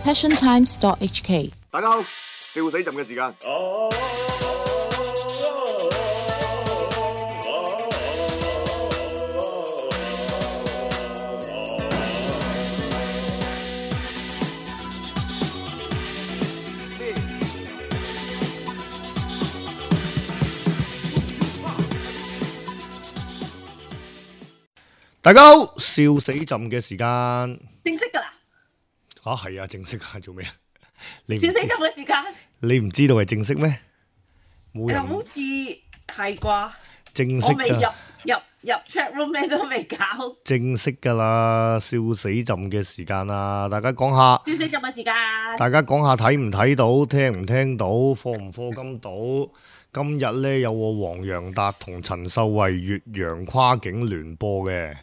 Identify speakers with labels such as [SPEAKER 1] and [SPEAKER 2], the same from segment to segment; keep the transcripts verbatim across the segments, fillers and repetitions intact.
[SPEAKER 1] passion times dot h k。
[SPEAKER 2] 大家好，笑死朕嘅時間。大家好，笑死朕嘅時間。
[SPEAKER 3] 正式噶啦。
[SPEAKER 2] 啊，係啊，正式啊，做咩啊？你
[SPEAKER 3] 笑死朕嘅時間。
[SPEAKER 2] 你唔知道係正式咩？冇人。
[SPEAKER 3] 好似係啩？
[SPEAKER 2] 正式。
[SPEAKER 3] 我未入入入 chat room 咩都未搞。
[SPEAKER 2] 正式噶啦，笑死朕嘅時間啊！大家講下。
[SPEAKER 3] 笑死朕嘅時間。
[SPEAKER 2] 大家講下睇唔睇到，聽唔聽到，課唔課金到？今日呢，有個黃洋達同陳秀慧越洋跨境聯播嘅。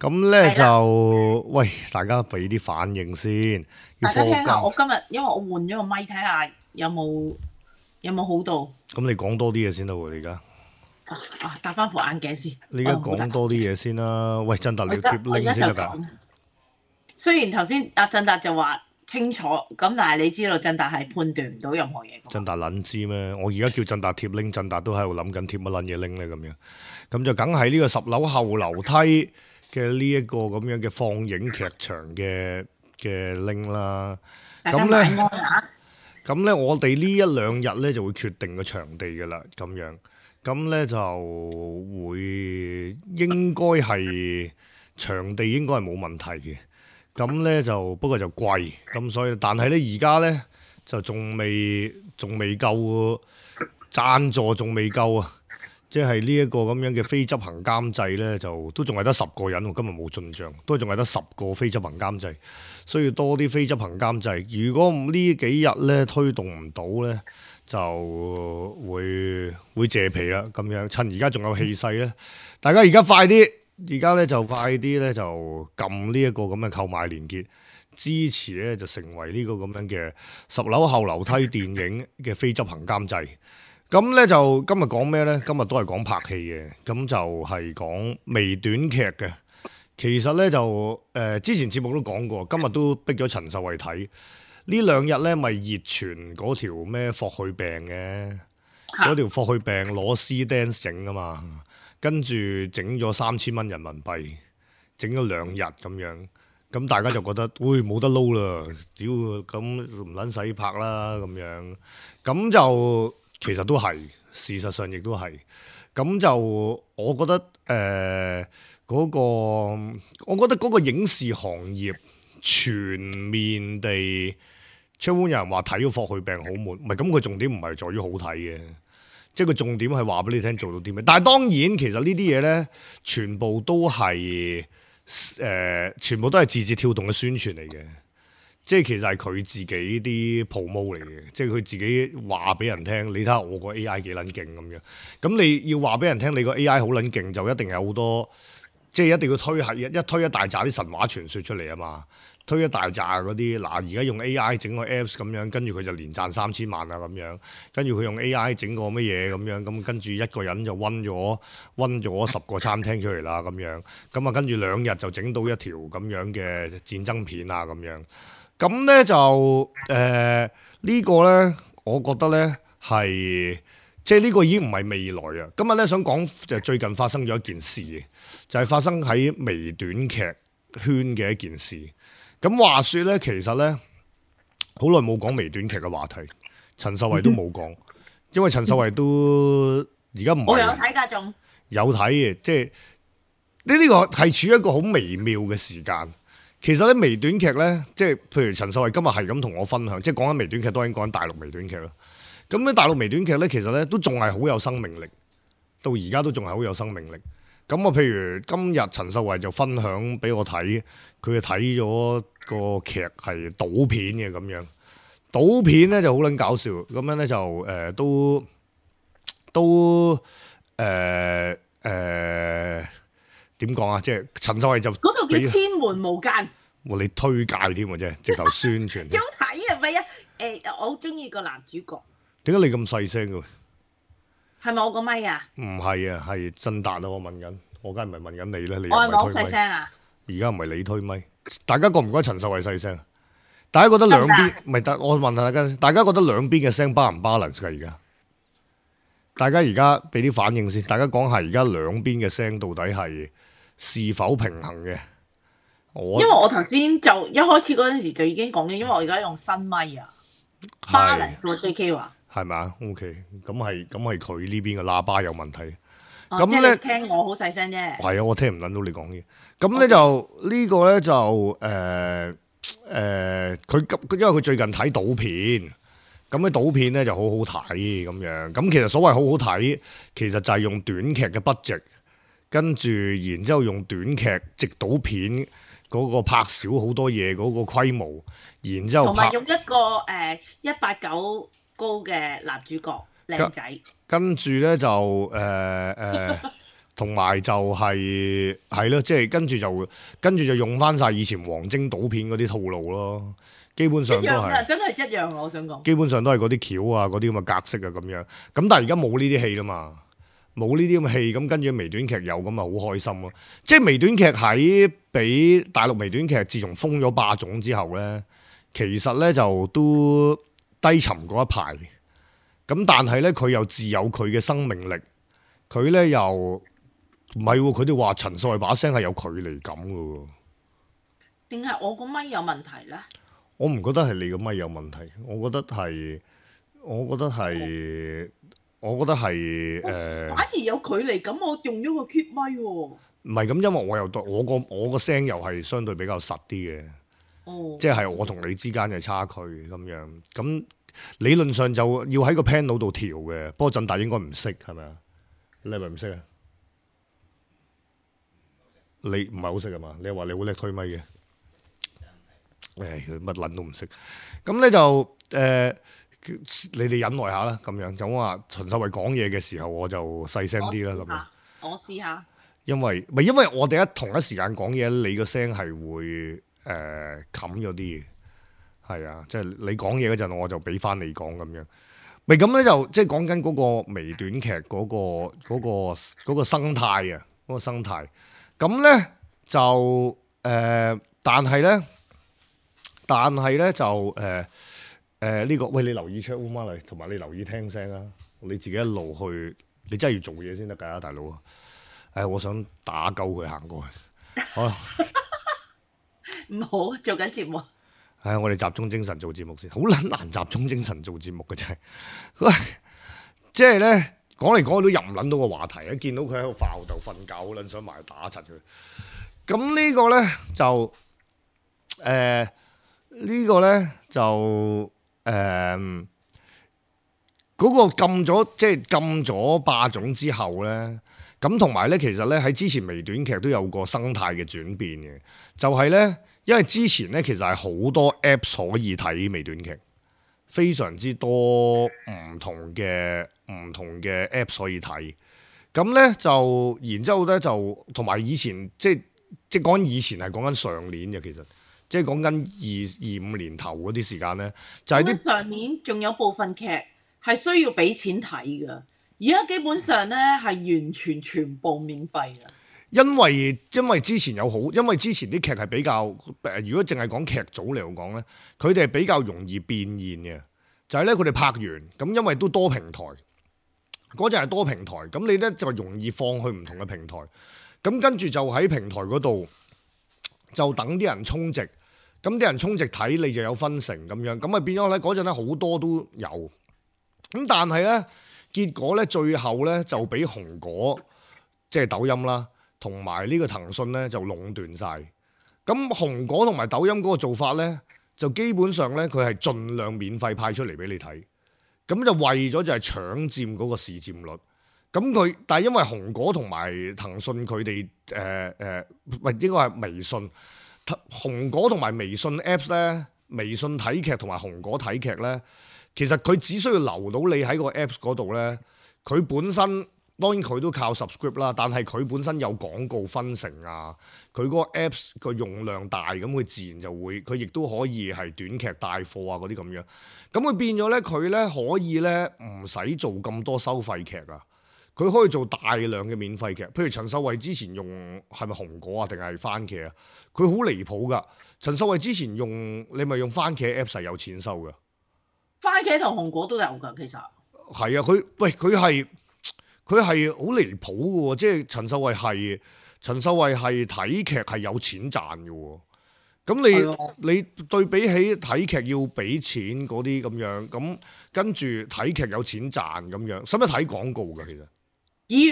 [SPEAKER 2] 咁咧就喂，大家俾啲反應先。
[SPEAKER 3] 大家聽下，我今日因為我換咗個咪，睇下有冇有冇好到。咁
[SPEAKER 2] 你講多啲嘢先啦喎，你而家。
[SPEAKER 3] 啊啊！戴翻副眼鏡先。
[SPEAKER 2] 你而家講多啲嘢先啦。喂，振達你要貼 link 先得㗎。
[SPEAKER 3] 雖然頭先阿振達就話清楚，咁但係你知道振達係判斷唔到任何嘢。
[SPEAKER 2] 振達撚知咩？我而家叫振達貼 link，振達都喺度諗緊貼乜撚嘢 link 咧咁樣。咁就梗係呢個十樓後樓梯嘅呢一個咁樣嘅放映劇場嘅嘅 link 啦，咁咧，咁咧我哋呢一兩日咧就會決定個場地噶啦，咁樣，咁咧就會應該係場地應該係冇問題嘅，咁咧就不過就貴，咁所以但係咧而家咧就仲未仲未夠贊助，仲未夠啊！即係呢一個咁樣嘅非執行監製呢，就都仲係得十個人，我今日冇進帳，都仲係得十個非執行監製，需要多啲非執行監製。如果呢幾日呢推動唔到呢，就會會謝皮啦。咁樣趁而家仲有氣勢呢，大家而家快啲，而家呢就快啲呢，就撳呢一個咁嘅購買連結，支持呢就成為呢個咁樣嘅十樓後樓梯電影嘅非執行監製。咁咧就今日講咩呢？今日都係講拍戲嘅，咁就係講微短劇嘅。其實呢，就誒、呃、之前節目都講過，今日都逼咗陳秀慧睇。呢兩日呢咪熱傳嗰條咩霍去病嘅，嗰條霍去病攞 C dance 整啊嘛，跟住整咗三千蚊人民幣，整咗兩日咁樣，咁大家就覺得，喂冇得撈啦，屌咁唔撚使拍啦咁樣，咁就。其實都係，事實上亦都係。咁就我覺得誒嗰、呃嗰個，我覺得嗰個影視行業全面地，出門有人話睇咗霍去病好悶，唔係咁佢重點唔係在於好睇嘅，即係佢重點係話俾你聽做到啲咩。但係當然其實呢啲嘢咧，全部都係誒、呃，全部都係字節跳動嘅宣傳嚟嘅。即係其實係佢自己啲 promo 嚟嘅，即係佢自己話俾人聽，你睇下我個 A I 幾撚勁咁樣。咁你要話俾人聽，你個 A I 好撚勁，就一定有好多，即係一定要推係一推一大紮啲神話傳說出嚟啊嘛。推一大紮嗰啲，嗱而家用 A I 整個 Apps 咁樣，跟住佢就連賺三千萬啊咁樣。跟住佢用 A I 整個乜嘢咁樣，咁跟住一個人就溫咗溫咗十個餐廳出嚟啦咁樣。咁啊跟住兩日就整到一條咁樣嘅戰爭片啊咁樣。咁咧就誒、呃這個、呢個咧，我覺得咧係即係呢個已經唔係未來啊！今日咧想講就最近發生咗一件事，就係、是、發生喺微短劇圈嘅一件事。咁話說咧，其實咧好耐冇講微短劇嘅話題，陳秀慧都冇講，因為陳秀慧都而家唔係我有睇㗎，仲有睇嘅，即係呢呢個係處於一個好微妙嘅時間。其實咧微短劇咧，即係譬如陳秀慧今日係咁同我分享，即係講緊微短劇，當然講緊大陸微短劇啦。咁咧大陸微短劇咧，其實咧都仲係好有生命力，到而家都仲係好有生命力。咁啊，譬如今日陳秀慧就分享俾我睇，佢睇咗個劇係賭片嘅咁樣，賭片咧就好撚搞笑，咁樣咧就誒、呃、都都誒誒。呃呃點講啊？即係陳秀慧就嗰
[SPEAKER 3] 套叫《天門無間》。
[SPEAKER 2] 哇！你推介添喎，啫，直頭宣傳。
[SPEAKER 3] 有睇啊？唔係啊？誒，我好中意個男主角。
[SPEAKER 2] 點解你咁細聲嘅？
[SPEAKER 3] 係咪我個咪啊？
[SPEAKER 2] 唔係啊，係振達啊！我問緊，我梗係唔係問緊你咧？你
[SPEAKER 3] 我係咪好細聲啊？
[SPEAKER 2] 而家唔係你推咪，大家覺唔覺得陳秀慧細聲？大家覺得兩邊唔係得？我問下大家，大家覺得兩邊嘅聲 balance 唔 balance 㗎而家？大家而家俾啲反應先，大家講下而家兩邊嘅聲到底係是，是否平衡嘅？我
[SPEAKER 3] 因為我頭先就一開始嗰陣時就已經講嘅，因為我而家用新咪啊 balance 喎 J K 話係
[SPEAKER 2] 咪啊 ？OK， 咁係咁係佢呢邊嘅喇叭有問題。
[SPEAKER 3] 咁咧、哦、聽我好細聲啫。係
[SPEAKER 2] 啊，我聽唔撚到你講嘢。咁咧就、這個、呢個咧就誒誒，佢、呃、急、呃，因為佢最近睇賭片，咁咧賭片咧就好好睇咁樣。咁其實所謂好好睇，其實就係用短劇嘅 budget，跟住然之後用短劇直賭片嗰個拍少好多嘢嗰個規模，然之後
[SPEAKER 3] 同埋用一個誒一八九高嘅男主角靚仔。
[SPEAKER 2] 跟住咧就誒誒，同、呃、埋、呃、就係係咯，即係跟住就跟住就用翻晒以前黃精賭片嗰啲套路咯，基本上都係
[SPEAKER 3] 真係一樣。我想講，
[SPEAKER 2] 基本上都係嗰啲橋啊，嗰啲咁嘅格式啊咁樣。咁但係而家冇呢啲戲啦嘛，冇呢啲咁嘅戲，咁跟住微短劇有咁啊，好開心咯。即係微短劇喺俾大陸微短劇，自從封咗霸總之後咧，其實咧就都低沉過一排。咁但係咧，佢又自有佢嘅生命力。佢咧又唔係喎，佢哋話陳秀慧把聲係有距離感嘅喎。
[SPEAKER 3] 定係我個咪有問題咧？
[SPEAKER 2] 我唔覺得係你個咪有問題，我覺得係，我覺得係，我覺得係誒。
[SPEAKER 3] 反而有距離感，我用咗個 keep 咪喎。
[SPEAKER 2] 唔係咁，因為我又我個我個聲又係相對比較實啲嘅。哦。即係我同你之間嘅差距咁樣咁。理論上就要喺個 panel 度調嘅，不過振達應該唔識係咪啊？你係咪唔識啊？你唔係好識啊嘛？你話你好叻推咪嘅，誒佢乜撚都唔識。咁咧就誒、呃，你哋忍耐下啦，咁樣就話陳秀慧講嘢嘅時候，我就細聲啲啦，咁樣。
[SPEAKER 3] 我試下。因
[SPEAKER 2] 為唔係因為我哋一同一時間講嘢，你個聲係會誒冚咗啲嘅。係啊，即係你講嘢嗰陣，我就俾翻你講咁樣。咪咁咧就即係講緊嗰個微短劇嗰個嗰個嗰個生態啊，嗰個生態。咁咧就誒，但係咧，但係咧就誒誒呢個，喂，你留意 chat room 嚟，同埋你留意聽聲啊。你自己一路去，你真係要做嘢先得㗎，大佬啊！誒，我想打鳩佢行過去。好啦，
[SPEAKER 3] 唔好做緊節目。
[SPEAKER 2] 唉，我哋集中精神做節目先，好撚難集中精神做節目嘅真係。喂，即係咧講嚟講去都入唔撚到個話題，一見到佢喺度發吽哣瞓覺，好撚想埋去打柒佢。咁呢個咧就誒、呃這個、呢個咧就誒嗰、呃那個禁咗，即係禁咗霸總之後咧，咁同埋咧其實咧喺之前微短劇都有個生態嘅轉變嘅，就係、是、咧。因為之前咧，其實係好多 Apps 可以睇微短劇，非常之多唔同嘅唔同嘅 Apps 可以睇。咁咧就，然之後咧就同埋以前，即係即係講以前係講緊上年嘅，其實即係講緊二二五年頭嗰啲時間咧，就係、是、啲
[SPEAKER 3] 上年仲有部分劇係需要俾錢睇㗎，而家基本上咧係完全全部免費㗎。
[SPEAKER 2] 因為因為之前有好，因為之前啲劇係比較誒，如果淨係講劇組嚟講咧，佢哋係比較容易變現嘅，就係咧佢哋拍完咁，因為都多平台，嗰陣係多平台，咁你咧就容易放去唔同嘅平台，咁跟住就喺平台嗰度就等啲人充值，咁啲人充值睇你就有分成咁樣，咁啊變咗咧嗰陣咧好多都有，咁但係咧結果咧最後咧就俾紅果即係抖音啦。同埋呢個騰訊咧就壟斷晒，咁紅果同埋抖音嗰個做法咧，就基本上咧佢係盡量免費派出嚟俾你睇，咁就為咗就係搶佔嗰個市佔率。咁佢但係因為紅果同埋騰訊佢哋誒誒，唔係應該係微信，紅果同埋微信 Apps 咧，微信睇劇同埋紅果睇劇咧，其實佢只需要留到你喺個 Apps 嗰度咧，佢本身。當然佢都靠 subscribe 啦，但係佢本身有廣告分成啊，佢嗰個 Apps 個用量大，咁佢自然就會，佢亦都可以係短劇帶貨啊嗰啲咁樣，咁佢變咗咧，佢咧可以咧唔使做咁多收費劇啊，佢可以做大量嘅免費劇。譬如陳秀慧之前用係咪紅果啊，定係番茄啊？佢好離譜噶。陳秀慧之前用你咪用番茄 Apps 係有錢收噶。
[SPEAKER 3] 番茄同紅果都有㗎，其實
[SPEAKER 2] 係啊，佢喂佢係佢係好離譜嘅喎，即係陳秀慧係陳秀慧係睇劇係有錢賺嘅喎。咁你的你對比起睇劇要俾錢嗰啲咁樣，咁跟住睇劇有錢賺咁樣，使唔使睇廣告㗎？其實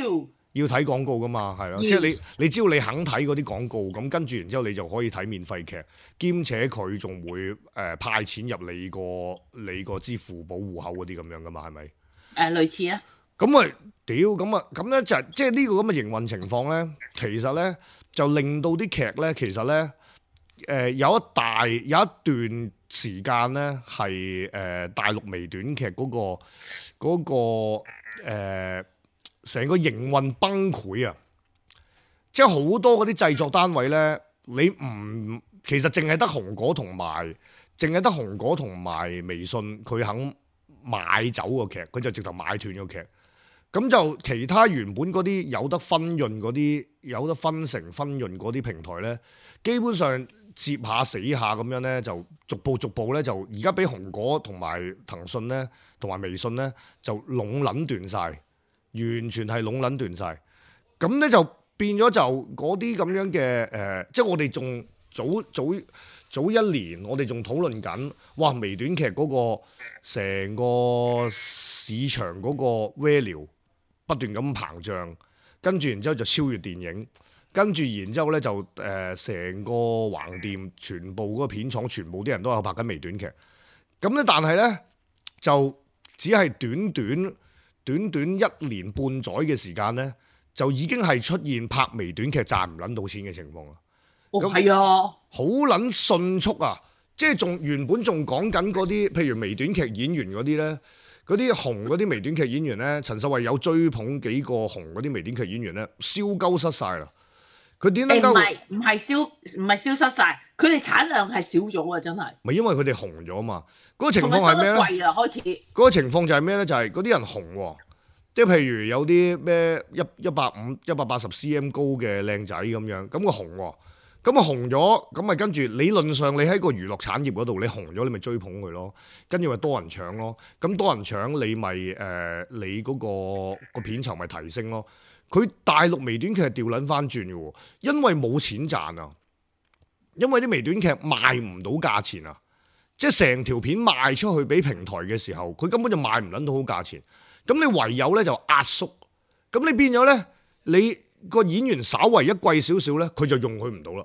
[SPEAKER 3] 要
[SPEAKER 2] 要睇廣告㗎嘛，係咯，即係你你只要你肯睇嗰啲廣告，咁跟住然之後你就可以睇免費劇，兼且佢仲會誒、呃、派錢入你個你個支付寶戶口嗰啲咁樣㗎嘛，係咪？誒、
[SPEAKER 3] 呃、類似啊。咁
[SPEAKER 2] 啊屌，咁啊咁咧就係即係呢個咁嘅營運情況咧，其實咧就令到啲劇咧，其實咧。誒、呃、有一大有一段時間咧係誒大陸微短劇嗰、嗰個嗰、嗰個誒成、呃、個營運崩潰啊！即係好多嗰啲製作單位咧，你唔其實淨係得紅果同埋，淨係得紅果同埋微信佢肯買走個劇，佢就直頭買斷個劇。咁就其他原本嗰啲有得分潤嗰啲，有得分成分潤嗰啲平台咧，基本上。接下死下咁樣咧，就逐步逐步咧，就而家俾紅果同埋騰訊咧，同埋微信咧，就壟撚斷晒，完全係壟撚斷晒。咁咧就變咗就嗰啲咁樣嘅誒、呃，即係我哋仲早早早一年，我哋仲討論緊，哇！微短劇嗰個成個市場嗰個 value 不斷咁膨脹，跟住然之後就超越電影。跟住，然之後咧就誒成、呃、個橫店，全部嗰個片廠，全部啲人都有拍緊微短劇。咁咧，但係咧就只係短短短短一年半載嘅時間咧，就已經係出現拍微短劇賺唔撚到錢嘅情況啦。
[SPEAKER 3] 哦，係啊，
[SPEAKER 2] 好撚迅速啊！即係仲原本仲講緊嗰啲，譬如微短劇演員嗰啲咧，嗰啲紅嗰啲微短劇演員咧，陳秀慧有追捧幾個紅嗰啲微短劇演員咧，燒鳩失晒啦。佢點能夠？唔係
[SPEAKER 3] 唔係消唔係消失晒，佢哋產量係少咗啊！真係。
[SPEAKER 2] 咪因為佢哋紅咗嘛？嗰、嗰個情況係咩咧？
[SPEAKER 3] 貴啊，開始。
[SPEAKER 2] 嗰個情況就係咩咧？就係嗰啲人紅喎，即係譬如有啲咩一一百五、一百八十 cm 高嘅靚仔咁樣，咁個紅喎，咁啊紅咗，咁咪跟住理論上你喺個娛樂產業嗰度，你紅咗你咪追捧佢咯，跟住咪多人搶咯，咁多人搶你咪誒、呃、你嗰、嗰個個片酬咪提升咯。佢大陸微短劇係調撚翻轉嘅喎，因為冇錢賺啊，因為啲微短劇賣唔到價錢啊，即係成條片賣出去俾平台嘅時候，佢根本就賣唔撚到好價錢，咁你唯有咧就壓縮，咁你變咗咧，你個演員稍為一貴少少咧，佢就用佢唔到啦，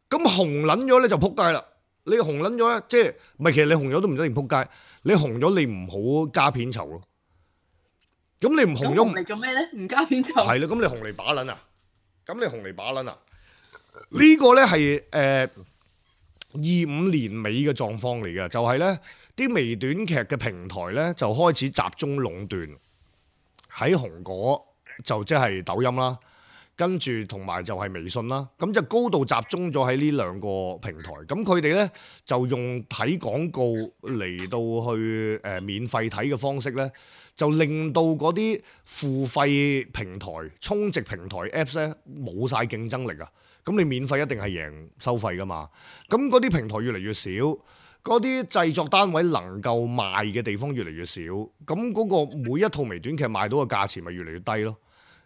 [SPEAKER 2] 咁紅撚咗咧就撲街啦，你紅撚咗咧，即係唔係其實你紅咗都唔一定撲街，你紅咗你唔好加片酬咯。咁你唔紅咗
[SPEAKER 3] 嚟做咩咧？唔加片酬
[SPEAKER 2] 係啦，咁你紅嚟把撚啊？咁你紅嚟把撚啊？這個、呢個咧係誒二五年尾嘅狀況嚟嘅，就係咧啲微短劇嘅平台咧就開始集中壟斷喺紅果，就即係抖音啦，跟住同埋就係微信啦，咁就高度集中咗喺呢兩個平台。咁佢哋咧就用睇廣告嚟到去誒、呃、免費睇嘅方式咧。就令到嗰啲付費平台、充值平台 Apps 咧冇晒競爭力啊！咁你免費一定係贏收費噶嘛？咁嗰啲平台越嚟越少，嗰啲製作單位能夠賣嘅地方越嚟越少，咁嗰個每一套微短劇賣到嘅價錢咪越嚟越低咯。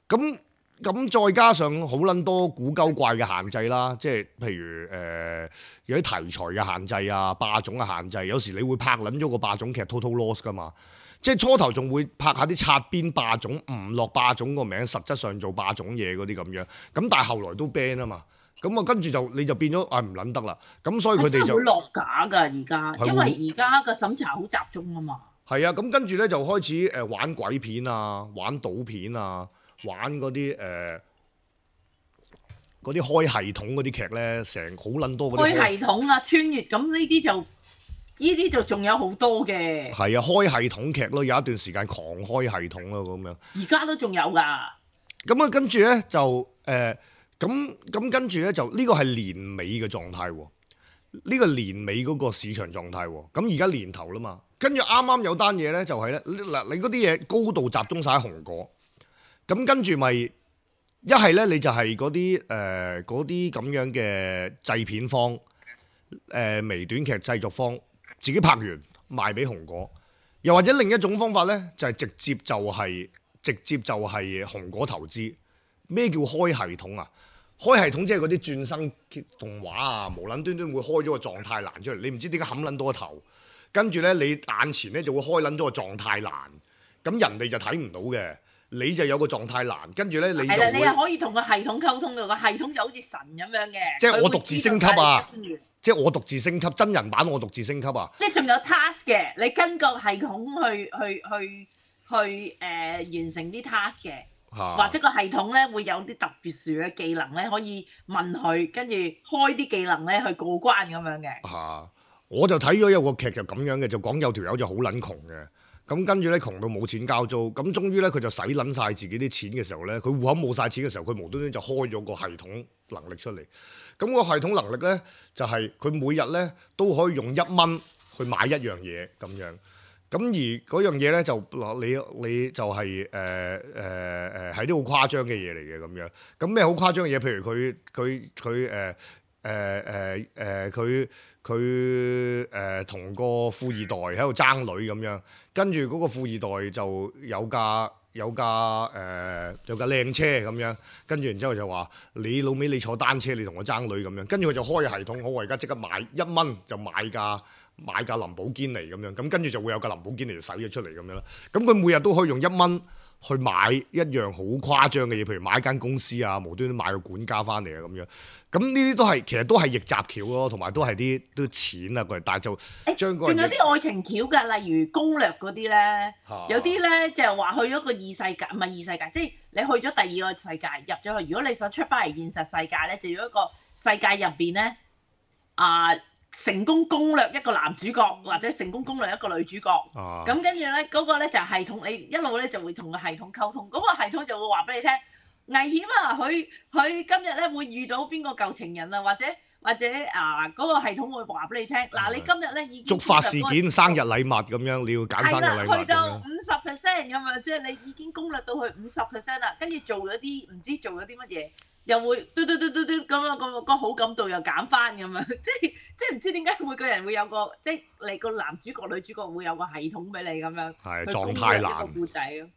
[SPEAKER 2] 咁咁再加上好撚多古鳩怪嘅限制啦，即係譬如誒、呃、有啲題材嘅限制啊、霸總嘅限制，有時你會拍撚咗個霸總劇 total loss 噶嘛。即係初頭仲會拍下啲擦邊霸總，唔落霸總個名，實質上做霸總嘢嗰啲咁樣。咁但係後來都 ban 啊嘛。咁啊跟住就你就變咗啊唔撚得啦。咁所以佢哋就
[SPEAKER 3] 會落架㗎而家，因為而家個審查好集中啊嘛。
[SPEAKER 2] 係啊，咁跟住咧就開始誒玩鬼片啊，玩賭片啊，玩嗰啲誒嗰啲開系統嗰啲劇咧，成好撚多嗰啲
[SPEAKER 3] 開系統啊，穿越咁呢啲就。呢啲就仲有好多嘅，
[SPEAKER 2] 係啊，開系統劇咯，有一段時間狂開系統咯，咁樣。
[SPEAKER 3] 而家都仲有㗎。
[SPEAKER 2] 咁啊，跟住咧就誒，咁咁跟住咧就呢個係年尾嘅狀態喎，呢個年尾嗰個市場狀態喎。咁而家年頭啦嘛，跟住啱啱有單嘢咧就係咧嗱，你嗰啲嘢高度集中晒喺紅果，咁跟住咪一係咧，你就係嗰啲誒嗰啲咁樣嘅製片方，誒、呃、微短劇製作方自己拍完賣俾紅果，又或者另一種方法咧，就係、是、直接就係、是、直接就係紅果投資。咩叫開系統啊？開系統即係嗰啲轉生動畫啊，無撚端端會開咗個狀態欄出嚟，你唔知點解冚撚到個頭，跟住咧你眼前咧就會開撚咗個狀態欄，咁人哋就睇唔到嘅，你就有個狀態欄，跟住咧你就
[SPEAKER 3] 係啦，你係可以同個系統溝通嘅，個系統就好似神咁樣嘅。
[SPEAKER 2] 即係我獨自升級啊！即係我獨自升級，真人版我獨自升級啊！
[SPEAKER 3] 即係仲有 task 嘅，你跟個系統去去去去誒、呃、完成啲 task 嘅。
[SPEAKER 2] 啊、
[SPEAKER 3] 或者個系統咧會有啲特別殊嘅技能咧，可以問佢，跟住開啲技能咧去過關咁樣嘅。嚇、
[SPEAKER 2] 啊！我就睇咗有個劇就咁樣嘅，就講有條友就好撚窮嘅，咁跟住咧窮到冇錢交租，咁終於咧佢就使撚晒自己啲錢嘅時候咧，佢戶口冇晒錢嘅時候，佢無端端就開咗個系統能力出嚟。咁個系統能力咧就係、是、佢每日咧都可以用一蚊去買一樣嘢咁樣。咁而嗰樣嘢咧就嗱你你就係誒誒誒係啲好誇張嘅嘢嚟嘅咁樣。咁咩好誇張嘅嘢？譬如佢佢佢誒誒誒誒佢佢誒同個富二代喺度爭女咁樣，跟住嗰個富二代就有架有架誒、呃、有架靚車咁樣，跟住然之後就話你老尾你坐單車你同我爭女咁樣，跟住佢就開系統，好我而家即刻買一蚊就買架。買架林寶堅尼咁樣，咁跟住就會有架林寶堅尼就使咗出嚟咁樣啦。咁佢每日都可以用一蚊去買一樣好誇張嘅嘢，譬如買一間公司啊，無端端買個管家翻嚟啊咁樣。咁呢啲都係其實都係逆襲橋咯，同埋都係啲都錢啊佢，但係就將嗰
[SPEAKER 3] 仲有啲愛情橋㗎，例如攻略嗰啲咧，
[SPEAKER 2] 啊、
[SPEAKER 3] 有啲咧就係話去咗個異世界，唔係異世界，即係你去咗第二個世界入咗去。如果你想出翻嚟現實世界咧，就要一個世界入邊咧啊。成功攻略一個男主角，或者成功攻略一個女主角，咁跟住咧嗰個咧就係系統，你一路咧就會同個系統溝通，嗰、嗰個系統就會話俾你聽危險啊！佢佢今日咧會遇到邊個舊情人啊，或者或者啊嗰、嗰個系統會話俾你聽，嗱、啊、你今日咧已經觸
[SPEAKER 2] 發事件、生日禮物咁樣，你要揀生日禮物咁樣。係啦，去到
[SPEAKER 3] 五十 percent 咁啊，即係你已經攻略到去五十 percent 啦，跟住做咗啲唔知做咗啲乜嘢。又會嘟嘟嘟嘟嘟咁啊，個個好感度又減翻咁啊！即係即係唔知點解每個人會有個即係你個男主角女主角會有個系統俾你咁樣，
[SPEAKER 2] 係狀態欄
[SPEAKER 3] 一個故仔咯，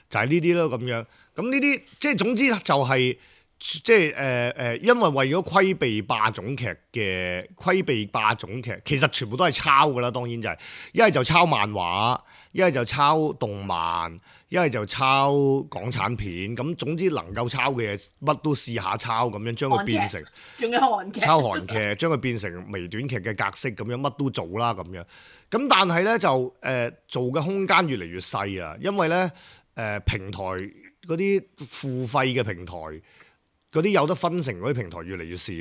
[SPEAKER 2] 就係呢啲咯咁樣。咁呢啲即係總之就係、是、即係誒誒，因為為咗規避霸總劇嘅規避霸總劇，其實全部都係抄㗎啦。當然就係一係就抄漫畫，一係就抄動漫。一係就抄港產片，咁總之能夠抄嘅嘢，乜都試下抄，咁樣將佢變成，
[SPEAKER 3] 仲有韓劇，
[SPEAKER 2] 抄韓劇，將佢變成微短劇嘅格式，咁樣乜都做啦，咁樣。咁但係咧就誒、呃、做嘅空間越嚟越細啊，因為咧誒、呃、平台嗰啲付費嘅平台，嗰啲有得分成嗰啲平台越嚟越少，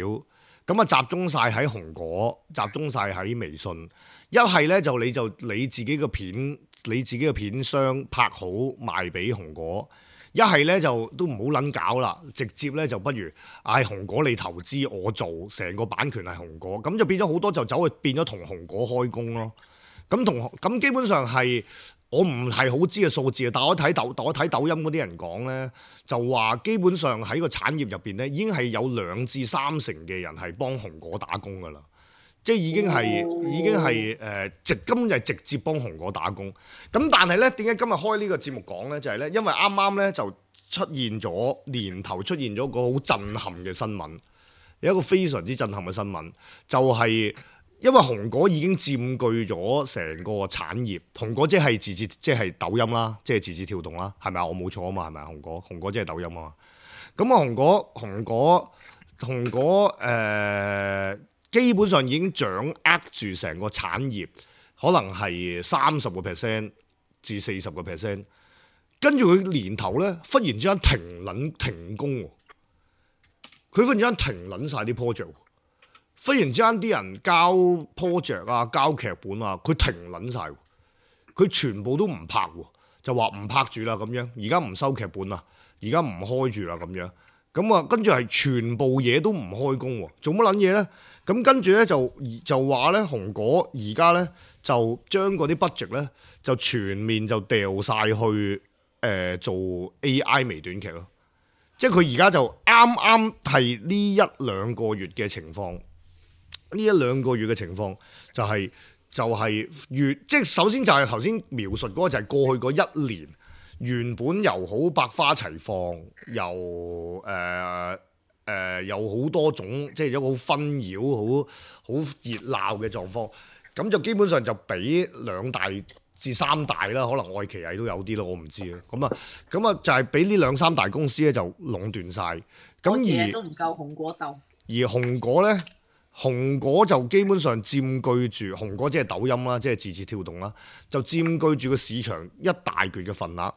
[SPEAKER 2] 咁啊集中晒喺紅果，集中晒喺微信。一係咧就你就你自己嘅片。你自己嘅片商拍好賣俾紅果，一係咧就都唔好撚搞啦，直接咧就不如嗌紅果你投資我做，成個版權係紅果，咁就變咗好多就走去變咗同紅果開工咯。咁同咁基本上係我唔係好知嘅數字啊，但我睇抖我睇抖音嗰啲人講咧，就話基本上喺個產業入邊咧，已經係有兩至三成嘅人係幫紅果打工噶啦。即係已經係、哦、已經係誒直根本就係直接幫紅果打工。咁但係咧，點解今日開呢個節目講咧？就係、是、咧，因為啱啱咧就出現咗年頭出現咗個好震撼嘅新聞，有一個非常之震撼嘅新聞，就係、是、因為紅果已經佔據咗成個產業。紅果即係字節，即係抖音啦，即係字節跳動啦，係咪啊？我冇錯啊嘛，係咪啊？紅果紅果即係抖音啊嘛。咁啊，紅果紅果紅果誒。呃基本上已經掌握住成個產業，可能係三十個 percent 至四十個 percent。跟住佢年頭咧，忽然之間停撚停工喎，佢忽然之間停撚晒啲 project，忽然之間啲人交 project 啊、交劇本啊，佢停撚晒，佢全部都唔拍喎，就話唔拍住啦咁樣，而家唔收劇本啦，而家唔開住啦咁樣。咁啊，跟住係全部嘢都唔開工喎，做乜撚嘢咧？咁跟住咧就就話咧紅果而家咧就將嗰啲 budget 咧就全面就掉晒去誒呃、做 A I 微短劇咯。即係佢而家就啱啱係呢一兩個月嘅情況，呢一兩個月嘅情況就係、是、就係、是、越即係首先就係頭先描述嗰個就係過去嗰一年原本又好百花齊放，又誒誒、呃呃、有好多種即係一個好紛擾、好好熱鬧嘅狀況，咁就基本上就俾兩大至三大啦，可能愛奇藝都有啲咯，我唔知啊。咁啊，咁啊就係俾呢兩三大公司咧就壟斷晒。咁而
[SPEAKER 3] 都唔夠紅果鬥。
[SPEAKER 2] 而紅果咧，紅果就基本上佔據住紅果即係抖音啦，即係字節跳動啦，就佔據住個市場一大橛嘅份額。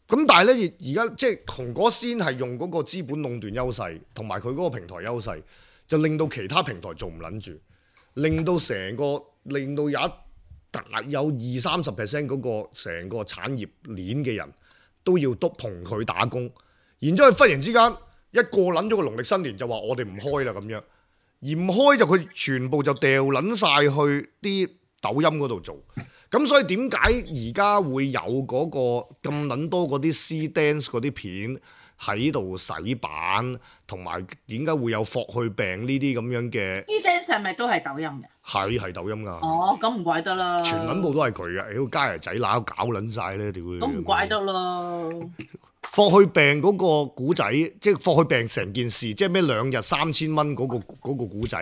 [SPEAKER 2] 咁但係咧，而家即係紅果先係用嗰個資本壟斷優勢，同埋佢嗰個平台優勢，就令到其他平台做唔撚住，令到成個令到有一大有二三十 percent 嗰個成個產業鏈嘅人都要督同佢打工，然之後忽然之間一過撚咗個農曆新年就話我哋唔開啦咁樣，而唔開就佢全部就掉撚晒去啲抖音嗰度做，咁所以點解而家會有嗰個咁撚多嗰啲 C dance 嗰啲片喺度洗版，同埋點解會有霍去病呢啲咁樣嘅
[SPEAKER 3] C dance 係咪都係抖音嘅？
[SPEAKER 2] 係係抖音㗎。
[SPEAKER 3] 哦，咁唔怪得啦。
[SPEAKER 2] 全撚部都係佢嘅，屌家爺仔乸搞撚晒咧，屌！
[SPEAKER 3] 咁唔怪得啦。
[SPEAKER 2] 霍去病嗰個古仔，即係霍去病成件事，即係咩兩日三千蚊嗰個嗰個古仔，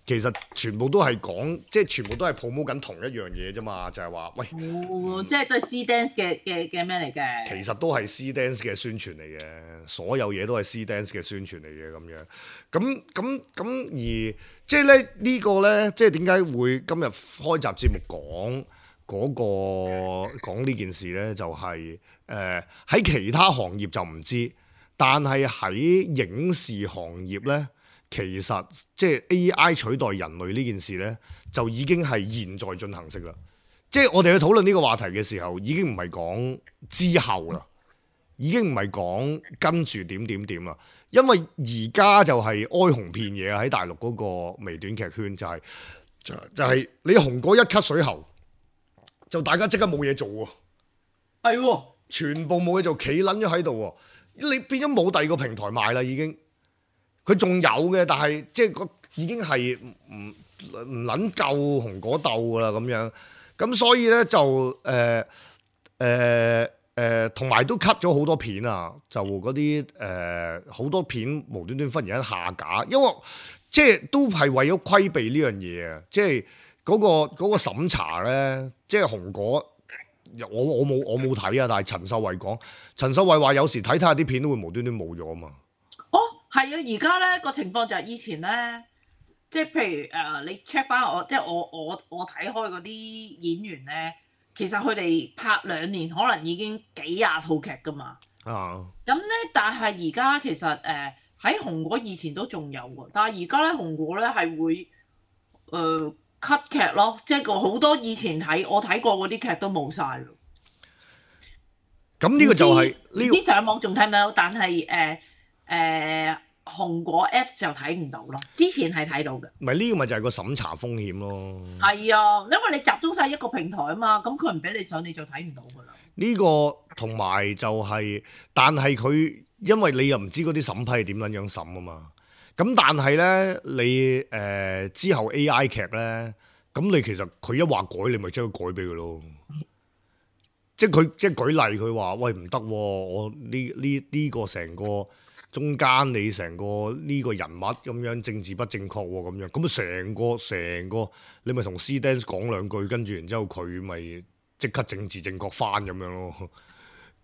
[SPEAKER 2] 其實全部都係講，即係全部都係 promote 緊同一樣嘢啫嘛，就係話，喂，
[SPEAKER 3] 哦，即係都係 C dance 嘅嘅嘅咩嚟嘅？
[SPEAKER 2] 其實都係 C dance 嘅宣傳嚟嘅，所有嘢都係 C dance 嘅宣傳嚟嘅咁樣。咁咁咁而即係咧呢個咧，即係點解會今日開集節目講嗰個講呢件事咧？就係誒喺其他行業就唔知，但係喺影視行業咧，其實即係 A I 取代人類呢件事咧，就已經係現在進行式啦。即係我哋去討論呢個話題嘅時候，已經唔係講之後啦，已經唔係講跟住點點點啦。因為而家就係哀鴻遍野喺大陸嗰個微短劇圈，就係、就就係、你紅果一咳水喉，就大家即刻冇嘢做喎。
[SPEAKER 3] 係喎，
[SPEAKER 2] 全部冇嘢做，企撚咗喺度喎。你變咗冇第二個平台賣啦，已經。佢仲有嘅，但係即係個已經係唔唔撚夠紅果鬥噶啦咁樣。咁所以咧就誒誒誒，同埋都 cut 咗好多片啊！就嗰啲誒好多片無端端忽然間下架，因為即係都係為咗規避呢樣嘢啊！即係嗰個嗰個審查咧，即係紅果。我我冇我冇睇啊，但係陳秀慧講，陳秀慧話有時睇睇下啲片都會無端端冇咗啊嘛。
[SPEAKER 3] 哦，係啊，而家咧個情況就係以前咧，即係譬如誒、呃，你 check 翻我，即係我我我睇開嗰啲演員咧，其實佢哋拍兩年可能已經幾廿套劇噶嘛。啊。咁咧，但係而家其實誒喺、呃、紅果以前都仲有喎，但係而家咧紅果咧係會誒。呃 cut 劇咯，即係個好多以前睇我睇過嗰啲劇都冇晒咯。
[SPEAKER 2] 咁呢個就係、是、呢、這個。啲
[SPEAKER 3] 上網仲睇唔到，但係誒誒紅果 Apps 就睇唔到咯。之前係睇到嘅。唔係呢個咪就係個審查風險咯。係啊，因為你集中晒一個平台啊嘛，咁佢唔俾你上，你就睇唔到噶啦。呢、這個同埋就係、是，但係佢因為你又唔知嗰啲審批係點樣樣審啊嘛。咁但係咧，你誒、呃、之後 A I 劇咧，咁你其實佢一話改，你咪將佢改俾佢咯。即係佢即係舉例，佢話喂唔得、啊，我呢呢呢個成個中間你成個呢個人物咁樣政治不正確喎、啊，咁樣咁啊成個成個你咪同 C Dance 講兩句，跟住然之後佢咪即刻政治正確翻咁樣咯。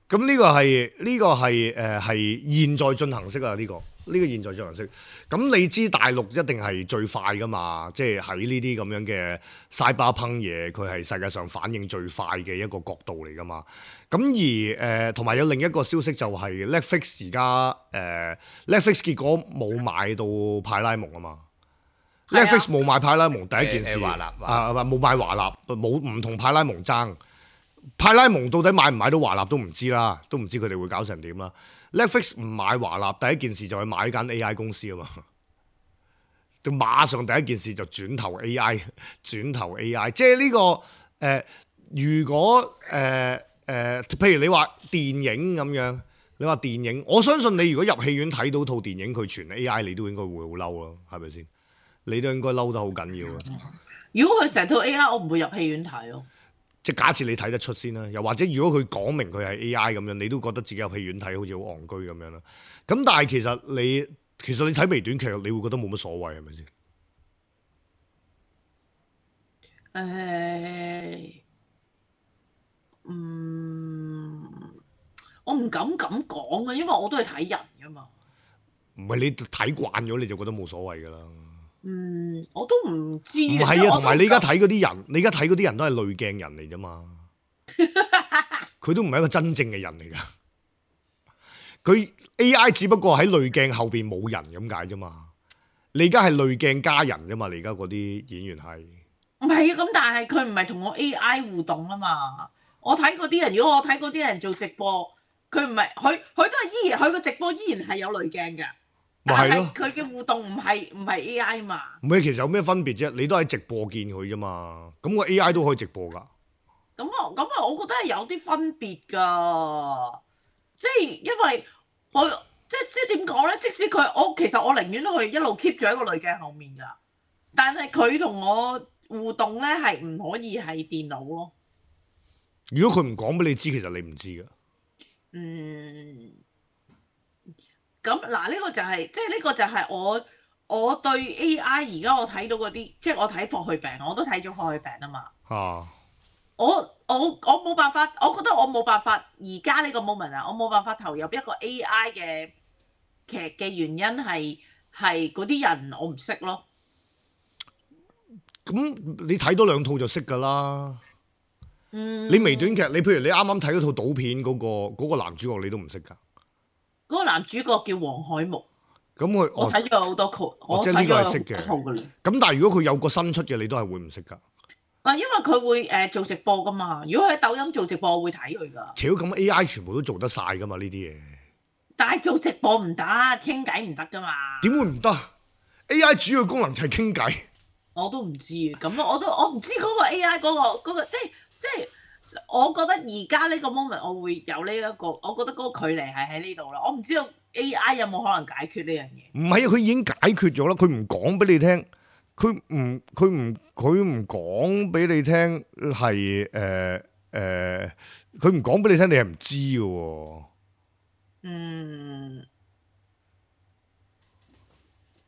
[SPEAKER 3] 咁呢個係呢、這個係誒係現在進行式啊，呢、這個。呢個現在進行式，咁你知大陸一定係最快㗎嘛？即係喺呢啲咁樣嘅 cyberpunk嘢，佢係世界上反應最快嘅一個角度嚟㗎嘛？咁而誒同埋有另一個消息就係 Netflix 而家誒 Netflix 結果冇買到派拉蒙啊嘛。Netflix 冇買派拉蒙第一件事啊，冇買華納，冇唔同派拉蒙爭。派拉蒙到底買唔買到華納都唔知啦，都唔知佢哋會搞成點啦。Netflix 唔買華納，第一件事就係買間 A I 公司啊嘛，就馬上第一件事就轉投 A I， 轉投 A I， 即係呢、這個誒、呃，如果誒
[SPEAKER 2] 呃，譬如你話電影咁樣，你話電影，我相信你如果入戲院睇到套電影佢全 A I， 你都應該會好嬲咯，係咪先？你都應該嬲得好緊要啊！
[SPEAKER 3] 如果佢成套 A I， 我唔會入戲院睇咯。
[SPEAKER 2] 即係假設你睇得出先啦，又或者如果佢講明佢係 A I 咁樣，你都覺得自己入戲院睇好似好戇居咁樣啦。咁但係其實你其實你睇微短劇，你會覺得冇乜所謂係咪先？誒、
[SPEAKER 3] 欸，嗯，我唔敢咁講啊，因為我都係睇人噶嘛。
[SPEAKER 2] 唔係你睇慣咗你就覺得冇所謂㗎啦。
[SPEAKER 3] 嗯，我都唔知。
[SPEAKER 2] 唔係啊，同埋你而家睇嗰啲人，你而家睇嗰啲人都係濾鏡人嚟啫嘛。佢都唔係一個真正嘅人嚟㗎。佢 A I 只不過喺濾鏡後邊冇人咁解啫嘛。你而家係濾鏡加人啫嘛。你而家嗰啲演員係
[SPEAKER 3] 唔係啊？咁但係佢唔係同我 A I 互動啊嘛。我睇嗰啲人，如果我睇嗰啲人做直播，佢唔係佢佢都係依然佢個直播依然係有濾鏡㗎。
[SPEAKER 2] 咪係咯，
[SPEAKER 3] 佢嘅互動唔係唔係 A I 嘛？
[SPEAKER 2] 唔係，其實有咩分別啫？你都喺直播見佢啫嘛。咁個 A I 都可以直播㗎。
[SPEAKER 3] 咁啊咁啊，我覺得係有啲分別㗎。即係因為我即即點講咧？即使佢我其實我寧願都去一路 keep 住喺個濾鏡後面㗎。但係佢同我互動咧係唔可以係電腦咯。
[SPEAKER 2] 如果佢唔講俾你知，其實你唔知㗎。
[SPEAKER 3] 嗯。咁嗱，呢個就係、是，即係呢個就係我我對 A I 而家我睇到嗰啲，即係我睇霍去病，我都睇咗霍去病啊嘛。啊！我我我冇辦法，我覺得我冇辦法而家呢個 moment 啊，我冇辦法投入一個 A I 嘅劇嘅原因係係嗰啲人我唔識咯。
[SPEAKER 2] 咁你睇多兩套就識㗎啦。
[SPEAKER 3] 嗯。
[SPEAKER 2] 你微短劇，你譬如你啱啱睇嗰套賭片嗰、嗰個嗰個男主角，你都唔識㗎。
[SPEAKER 3] 嗰個男主角叫黃海木，
[SPEAKER 2] 咁佢
[SPEAKER 3] 我睇咗好多套，
[SPEAKER 2] 哦、
[SPEAKER 3] 我
[SPEAKER 2] 即係呢個係識嘅。
[SPEAKER 3] 咁
[SPEAKER 2] 但係如果佢有個新出嘅，你都係會唔識㗎？
[SPEAKER 3] 啊，因為佢會誒、呃、做直播㗎嘛。如果喺抖音做直播，我會睇佢㗎。
[SPEAKER 2] 超咁 A I 全部都做得晒㗎嘛？呢啲嘢。但
[SPEAKER 3] 係做直播唔得，傾偈唔得㗎嘛。
[SPEAKER 2] 點會唔得 ？A I 主要功能就係傾偈。
[SPEAKER 3] 我都唔知咁我都我唔知嗰個 A I 嗰、嗰個嗰個即係即係。我覺得而家呢個 moment 我會有呢、這、一個，我覺得嗰個距離係喺呢度啦。我唔知道 A I 有冇可能解決呢樣嘢。唔係啊，
[SPEAKER 2] 佢已經解決咗啦。佢唔講俾你聽，佢唔佢唔佢唔講俾你聽係誒誒，佢唔講俾你聽，你係唔知嘅喎。
[SPEAKER 3] 嗯，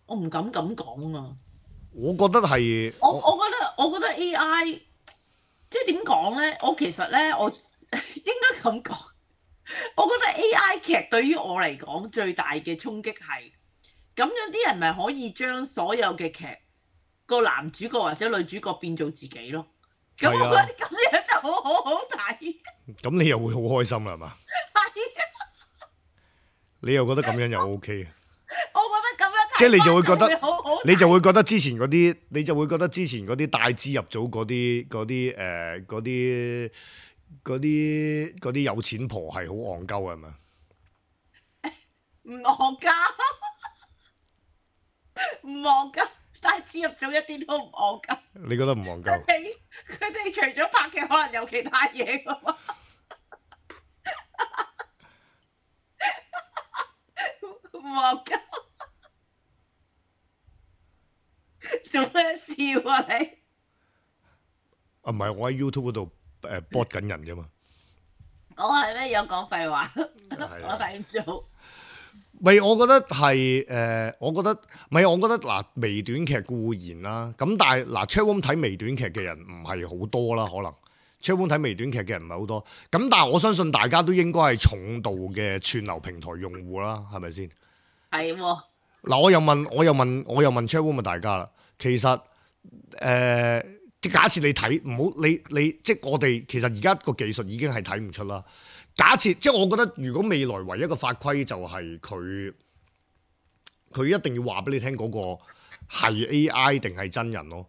[SPEAKER 3] 我唔敢咁講啊。
[SPEAKER 2] 我覺得係
[SPEAKER 3] 我我覺得我覺得 A I。即係點講咧？我其實咧，我應該咁講。我覺得 A I 劇對於我嚟講最大嘅衝擊係咁樣，啲人咪可以將所有嘅劇個男主角或者女主角變做自己咯。咁我覺得咁樣就好好好睇。
[SPEAKER 2] 咁你又會好開心啦，係嘛？係啊。你又覺得咁樣又 OK 啊？
[SPEAKER 3] 我覺得咁樣
[SPEAKER 2] 即係你就會覺得，
[SPEAKER 3] 好好
[SPEAKER 2] 你就會覺得之前嗰啲，你就會覺得之前嗰啲帶資入組嗰啲嗰啲誒嗰啲嗰啲嗰啲有錢婆係好戇鳩係咪？
[SPEAKER 3] 唔戇鳩，唔戇鳩，帶資入組一啲都唔戇鳩。
[SPEAKER 2] 你覺得唔戇鳩？
[SPEAKER 3] 佢哋佢哋除咗拍劇，可能有其他嘢㗎嘛？唔戇鳩。做咩笑啊你？
[SPEAKER 2] 啊唔係，我喺 YouTube 嗰度誒 bot 緊人啫嘛。
[SPEAKER 3] 我係咩有講廢話？我睇唔到。
[SPEAKER 2] 咪我覺得係誒、呃，我覺得咪我覺得嗱，微短劇固然啦，咁但係嗱 Chatroom 睇微短劇嘅人唔係好多啦，可能 Chatroom 睇微短劇嘅人唔係好多。咁但係我相信大家都應該係重度嘅串流平台用戶啦，係咪先？係喎。嗱，我又問，我又問，我又問 Chatroom 大家啦。其實誒，即、呃、假設你睇唔好，你你即係我哋其實而家個技術已經係睇唔出啦。假設即係我覺得，如果未來唯一嘅法規就係佢佢一定要話俾你聽嗰個係 A I 定係真人咯。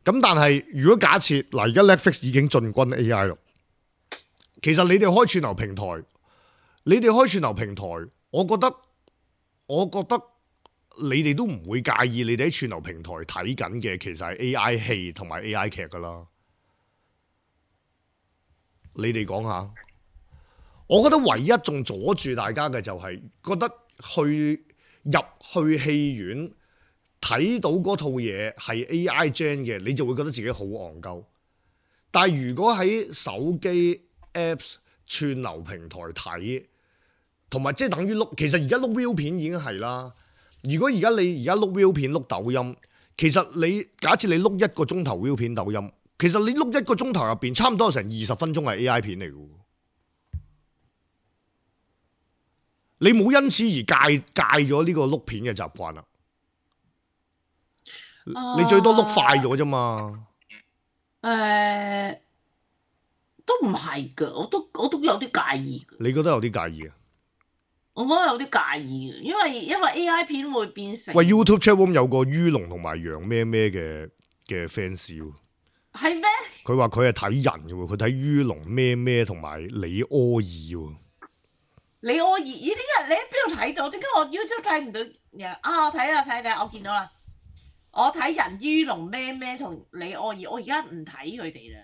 [SPEAKER 2] 咁但係如果假設嗱，而家 Netflix 已經進軍 A I 咯，其實你哋開串流平台，你哋開串流平台，我覺得我覺得。你哋都唔會介意你哋喺串流平台睇緊嘅其實係 A I 戲同埋 A I 劇噶啦，你哋講下。我覺得唯一仲阻住大家嘅就係覺得去入去戲院睇到嗰套嘢係 A I gen 嘅，你就會覺得自己好戇鳩。但係如果喺手機 Apps 串流平台睇，同埋即係等於碌，其實而家碌 view 片已經係啦。如果而家你而家碌 view 片碌抖音，其實你假設你碌一個鐘頭 view 片抖音，其實你碌一個鐘頭入邊，差唔多有成二十分鐘係 A I 片嚟嘅。你冇因此而戒戒咗呢個碌片嘅習慣啦。Uh, 你最多碌快咗啫嘛。
[SPEAKER 3] 誒、uh, 都唔係㗎，我都我都有啲介意。
[SPEAKER 2] 你覺得有啲介意啊？
[SPEAKER 3] 我覺得有啲介意嘅，因為因為 A I 片會變成。
[SPEAKER 2] 喂 YouTube channel 有個于龍同埋楊咩咩嘅嘅 fans 喎。係
[SPEAKER 3] 咩？
[SPEAKER 2] 佢話佢係睇人嘅喎，佢睇于龍咩咩同埋李柯爾喎。
[SPEAKER 3] 李柯爾，咦？點解你喺邊度睇到？點解我 YouTube 睇唔到？啊，我睇啦睇睇，我見到啦。我睇人于龍咩咩同李柯爾，我而家唔睇佢哋啦。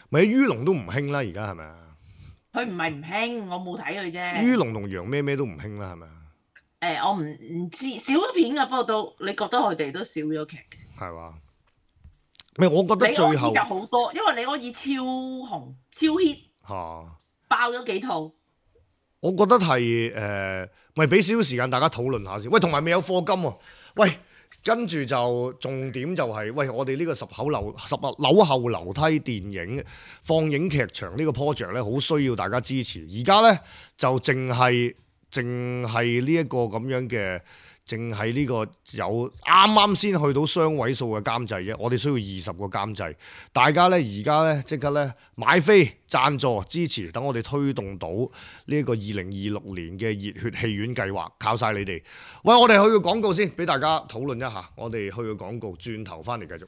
[SPEAKER 2] 咪于龍都唔興啦，而家係咪啊？
[SPEAKER 3] 佢唔係唔興，我冇睇佢啫。
[SPEAKER 2] 于龍同楊咩咩都唔興啦，係咪啊？
[SPEAKER 3] 誒、欸，我唔唔知少咗片嘅，不過都你覺得佢哋都少咗劇嘅。係
[SPEAKER 2] 嘛？咪我覺得最後
[SPEAKER 3] 李柯爾就好多，因為李柯爾超紅超 hit 嚇，啊、爆咗幾套。
[SPEAKER 2] 我覺得係誒，咪俾少少時間大家討論下先。喂，同埋未有課金喎、啊。喂。跟住就重點就係、是，喂，我哋呢個十口樓十樓後樓梯電影放映劇場呢個 project 咧，好需要大家支持。而家咧就淨係淨係呢一個咁樣嘅，淨係呢個有啱啱先去到雙位數嘅監製啫。我哋需要二十個監製，大家咧而家咧即刻咧買飛贊助支持，等我哋推動到呢一個二零二六年嘅熱血戲院計劃，靠晒你哋。喂，我哋去個廣告先，俾大家討論一下。我哋去個廣告，轉頭翻嚟繼續。